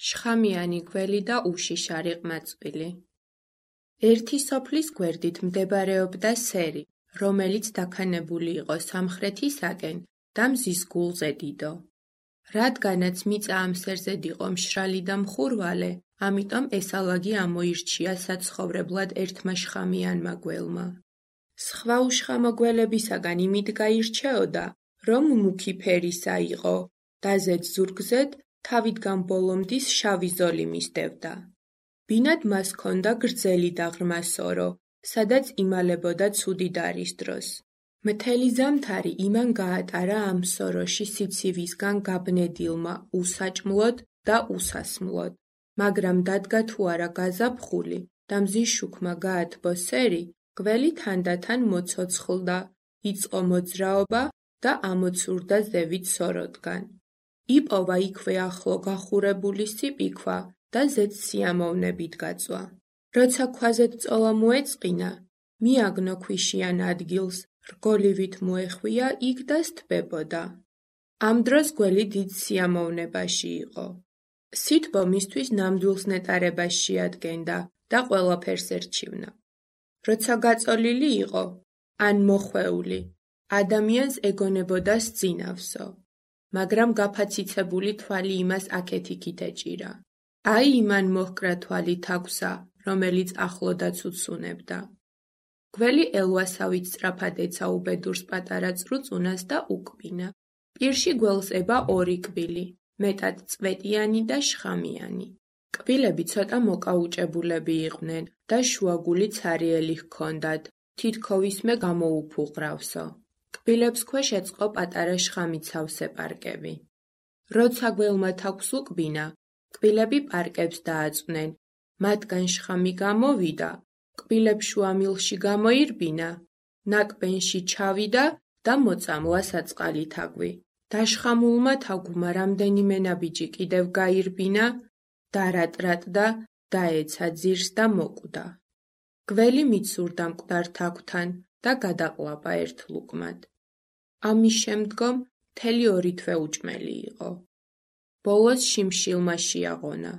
შხამიანი გველი და უშიშარი ყმაწვილი. ერთი სოფლის გვერდით მდებარეობდა სერი, რომელიც დაქანებული იყო სამხრეთისაკენ და მზის გულზე დიდო. რადგანაც მიწა ამ სერზედ იყო მშრალი და მხურვალე, ამიტომ ესალაგი ამოირჩია საცხოვრებლად ერთმა შხამიანმა გველმა. სხვა უშხამო გველებისაგან იმით გაირჩეოდა, რომ მუქი ფერისა იყო და ზედ ზურგზედ თავიდან ბოლომდის შავი ზოლი მისდევდა. ბინად მას ჰქონდა გრძელი და ღრმა სორო, სადაც იმალებოდა ცუდი დარის დროს. მთელი ზამთარი იმან გაატარა ამ სოროში სიცივისგან გაბნედილმა უსაჭმლოდ და უსასმლოდ, მაგრამ დადგა თუ არა გაზაფხული და მზის შუქმა გაათბო სერი, გველი თანდათან მოცოცხლდა, იწყო მოძრაობა და ამოცურდა ზევით სოროდგან. იპოვა იქვე ახლო გახურებული სიპიქვა და ზედ სიამოვნებით გაწვა. როცა ქვაზეთ წოლა მოეწყინა, მიაგნო ქვიშიან ადგილს, რგოლივით მოეხვია იქ და სთბებოდა. ამ დროს გველი დიდ სიამოვნებაში იყო. სითბო მისთვის ნამდვილს ნეტარებას შეადგენდა და ყველაფერს ერჩივნა. როცა გაწოლილი იყო, ან მოხვეული, ადამიანს ეგონებოდა სძინავსო, მაგრამ გაფაციცებული თვალი იმას აქეთ-იქით ეჭირა. აი იმან მოჰკრა თვალი თაგვსა, რომელიც ახლოდაც უცუნებდა. გველი ელვასავით სწრაფად ეცა უბედურს პატარა წრუწუნას და უკბინა. პირში გველს ება ორი კბილი, მეტად წვეტიანი და შხამიანი. კბილები ცოტა მოკაუჭებულები იყვნენ და შუაგული ცარიელი ჰქონდათ, თითქოსმე გამოუფუყრავსო. კბილებს ქვეშ ეწყო პატარა შხამით სავსე პარკები. როცა გველმა თაგვს უკბინა, კბილები პარკებს დააწვნენ, მათგან შხამი გამოვიდა, კბილებს შუამილში გამოირბინა, ნაკბენში ჩავიდა და მოწამლა საწყალი თაგვი. დაშხამულმა თაგვმა რამდენიმე ნაბიჯი კიდევ გაირბინა, დარატრატდა, დაეცა ძირს და მოკვდა. გველი მიცურდა მკვდარ თაგვთან და გადაყლაპა ერთ ლუკმად. ამის შემდგომ მთელი 2 თვე უჭმელი იყო. ბოლოს შიმშილმა შეაღონა.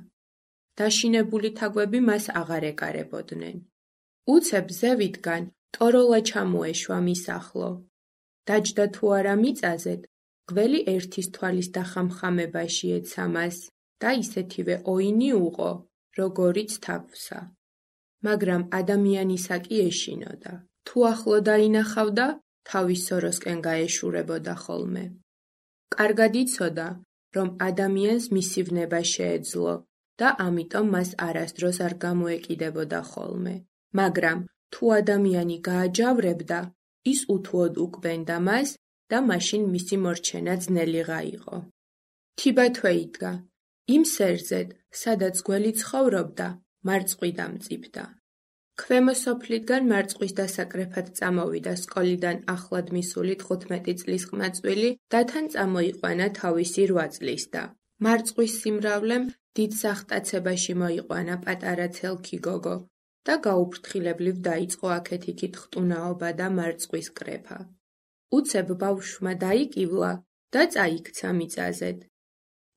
დაშინებული თაგვები მას აღარ ეკარებოდნენ. უცებ ზევითგან ტოროლა ჩამოეშვა მის ახლო. დაჯდა თუ არა მიწაზედ, გველი ერთის თვალის დახამხამებაში ეცა მას და ისეთივე ოინი უყო, როგორიც თაგვსა. მაგრამ ადამიანისაკი ეშინოდა. თუ ახლო დაინახავდა, თავის სოროსკენ გაეშურებოდა ხოლმე. კარგად იცოდა, რომ ადამიანს მისივნება შეეძლო და ამიტომ მას არასდროს არ გამოეკიდებოდა ხოლმე. მაგრამ თუ ადამიანი გააჯავრებდა, ის უთუოდ უკბენდა მას და მაშინ მისი მორჩენა ძნელიღა იყო. თიბათვე იდგა. იმ სერზედ, სადაც გველი ცხოვრობდა, მარწყვი დამწიფდა. ქვემო სოფლიდან მარწყვის დასაკრეფად წამოვიდა სკოლიდან ახლად მისული 15 წლის ყმაწვილი და თან წამოიყვანა თავისი 8 წლის და. მარწყვის სიმრავლემ დიდ სახტაცებაში მოიყვანა პატარა ცელქი გოგო და გაუფრთხილებლივ დაიწყო აქეთ-იქით ხტუნაობა და მარწყვის კრეფა. უცებ ბავშვმა დაიკივლა და წაიქცა მიწაზედ.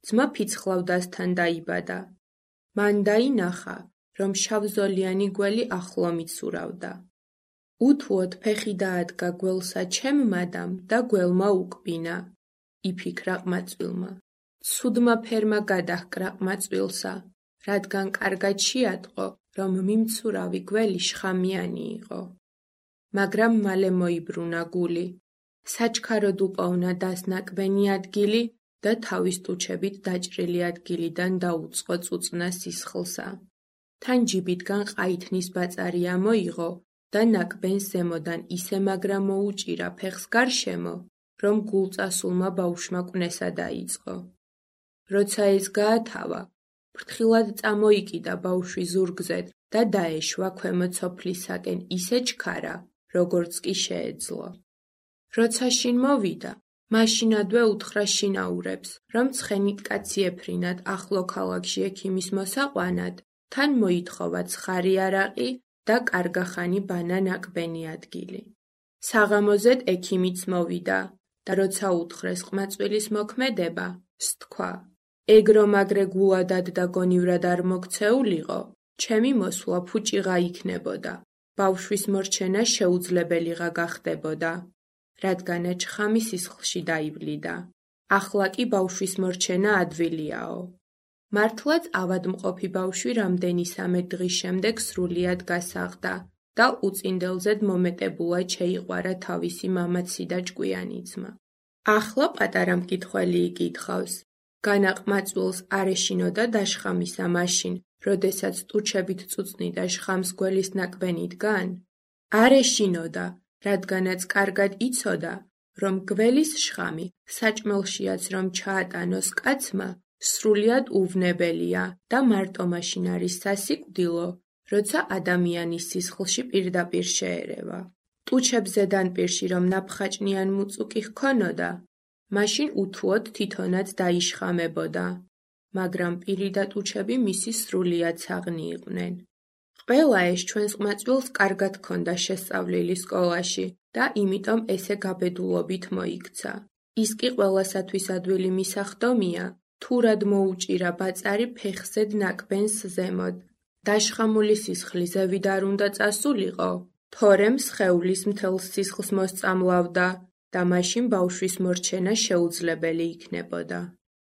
ძმა ფიცხლავდასთან დაიბადა. მან დაინახა, რომ შავზოლიანი გველი ახლო მიცურავდა. უთუოდ ფეხი დაადგა გველსა ჩემმადამ და გველმა უკბინა, იფიქრა ყმაწვილმა. ცუდმა ფერმა გადაჰკრა ყმაწვილსა, რადგან კარგად შეატყო, რომ მიმცურავი გველი შხამიანი იყო. მაგრამ მალე მოიბრუნა გული. საჩქაროდ უპოვნა დასნაკბენი ადგილი და თავის ტუჩებით დაჭრილი ადგილიდან დაუწყო წუწნა სისხლსა. თან ჯიბიტგან ყაითნის ბაწარი ამოიღო და ნაკბენს ზემოდან ისე მაგრა მოუჭირა ფეხს გარშემო, რომ გულწასულმა ბავშვმა კვნესა დაიწყო. როცა ეს გაათავა, ფრთხილად წამოიკიდა ბავშვი ზურგზედ და დაეშვა ქვემო სოფლისაკენ ისე ჩქარა, როგორც კი შეეძლო. როცა შინ მოვიდა, მაშინადვე უთხრა შინაურებს, რომ ცხენით კაცი ეფრინათ ახლო ქალაქში ექიმის მოსაყვანად, თან მოითხოვა ცხარი არაყი და კარგახანი ბანა ნაკბენი ადგილი. საღამოზედ ექიმიც მოვიდა და როცა უთხრეს ყმაწვილის მოქმედება, სთქვა. ეგრომაგრე გულადად და გონივრად არ მოქცეულიყო, ჩემი მოსვლა ფუჭიღა იქნებოდა, ბავშვის მორჩენა შეუძლებელიღა გახდებოდა, რადგანაც ჩხამი სისხლში დაივლიდა. ახლა კი ბავშვის მორჩენა ადვილიაო. მართლაც ავადმყოფი ბავშვი რამდენისამე დღის შემდეგ სრულიად გასაღდა და უწინდელზედ მომეტებულად შეიყვარა თავისი მამაცი და ჭკვიანი ძმა. ახლა პატარა მკითხველი იკითხავს. განაყმაწვილს არ ეშინოდა დაშხამისა მაშინ, როდესაც ტუჩებით წუწნიდა შხამს გველის ნაკბენიდან? არ ეშინოდა, რადგანაც კარგად იცოდა, რომ გველის შხამი, საჭმელშიაც რომ ჩაატანოს კაცმა, სრულიად უვნებელია და მარტო მაშინ არის სასიკვდილო, როცა ადამიანის სისხლში პირდაპირ შეერევა. ტუჩებს ზედანპირში რომ ნაფხაჭნიან მუწუკი ჰქონოდა, მაშინ უთუოდ თვითონაც დაიშხამებოდა, მაგრამ პირი და ტუჩები მისი სრულიად საღნი იყვნენ. ყველა ეს ჩვენს ყმაწვილს კარგად ჰქონდა შესწავლილი სკოლაში და იმიტომ ესე გაბედულობით მოიქცა. ის კი ყველასათვის ადვილი მისახდომია, თუ რად მოუჭირა ბაწარი ფეხზედ ნაკბენს ზემოთ. დაშხამული სისხლი ზევით არ უნდა წასულიყო, თორემ სხეულის მთელს სისხლს მოსწამლავდა და მაშინ ბავშვის მორჩენა შეუძლებელი იქნებოდა.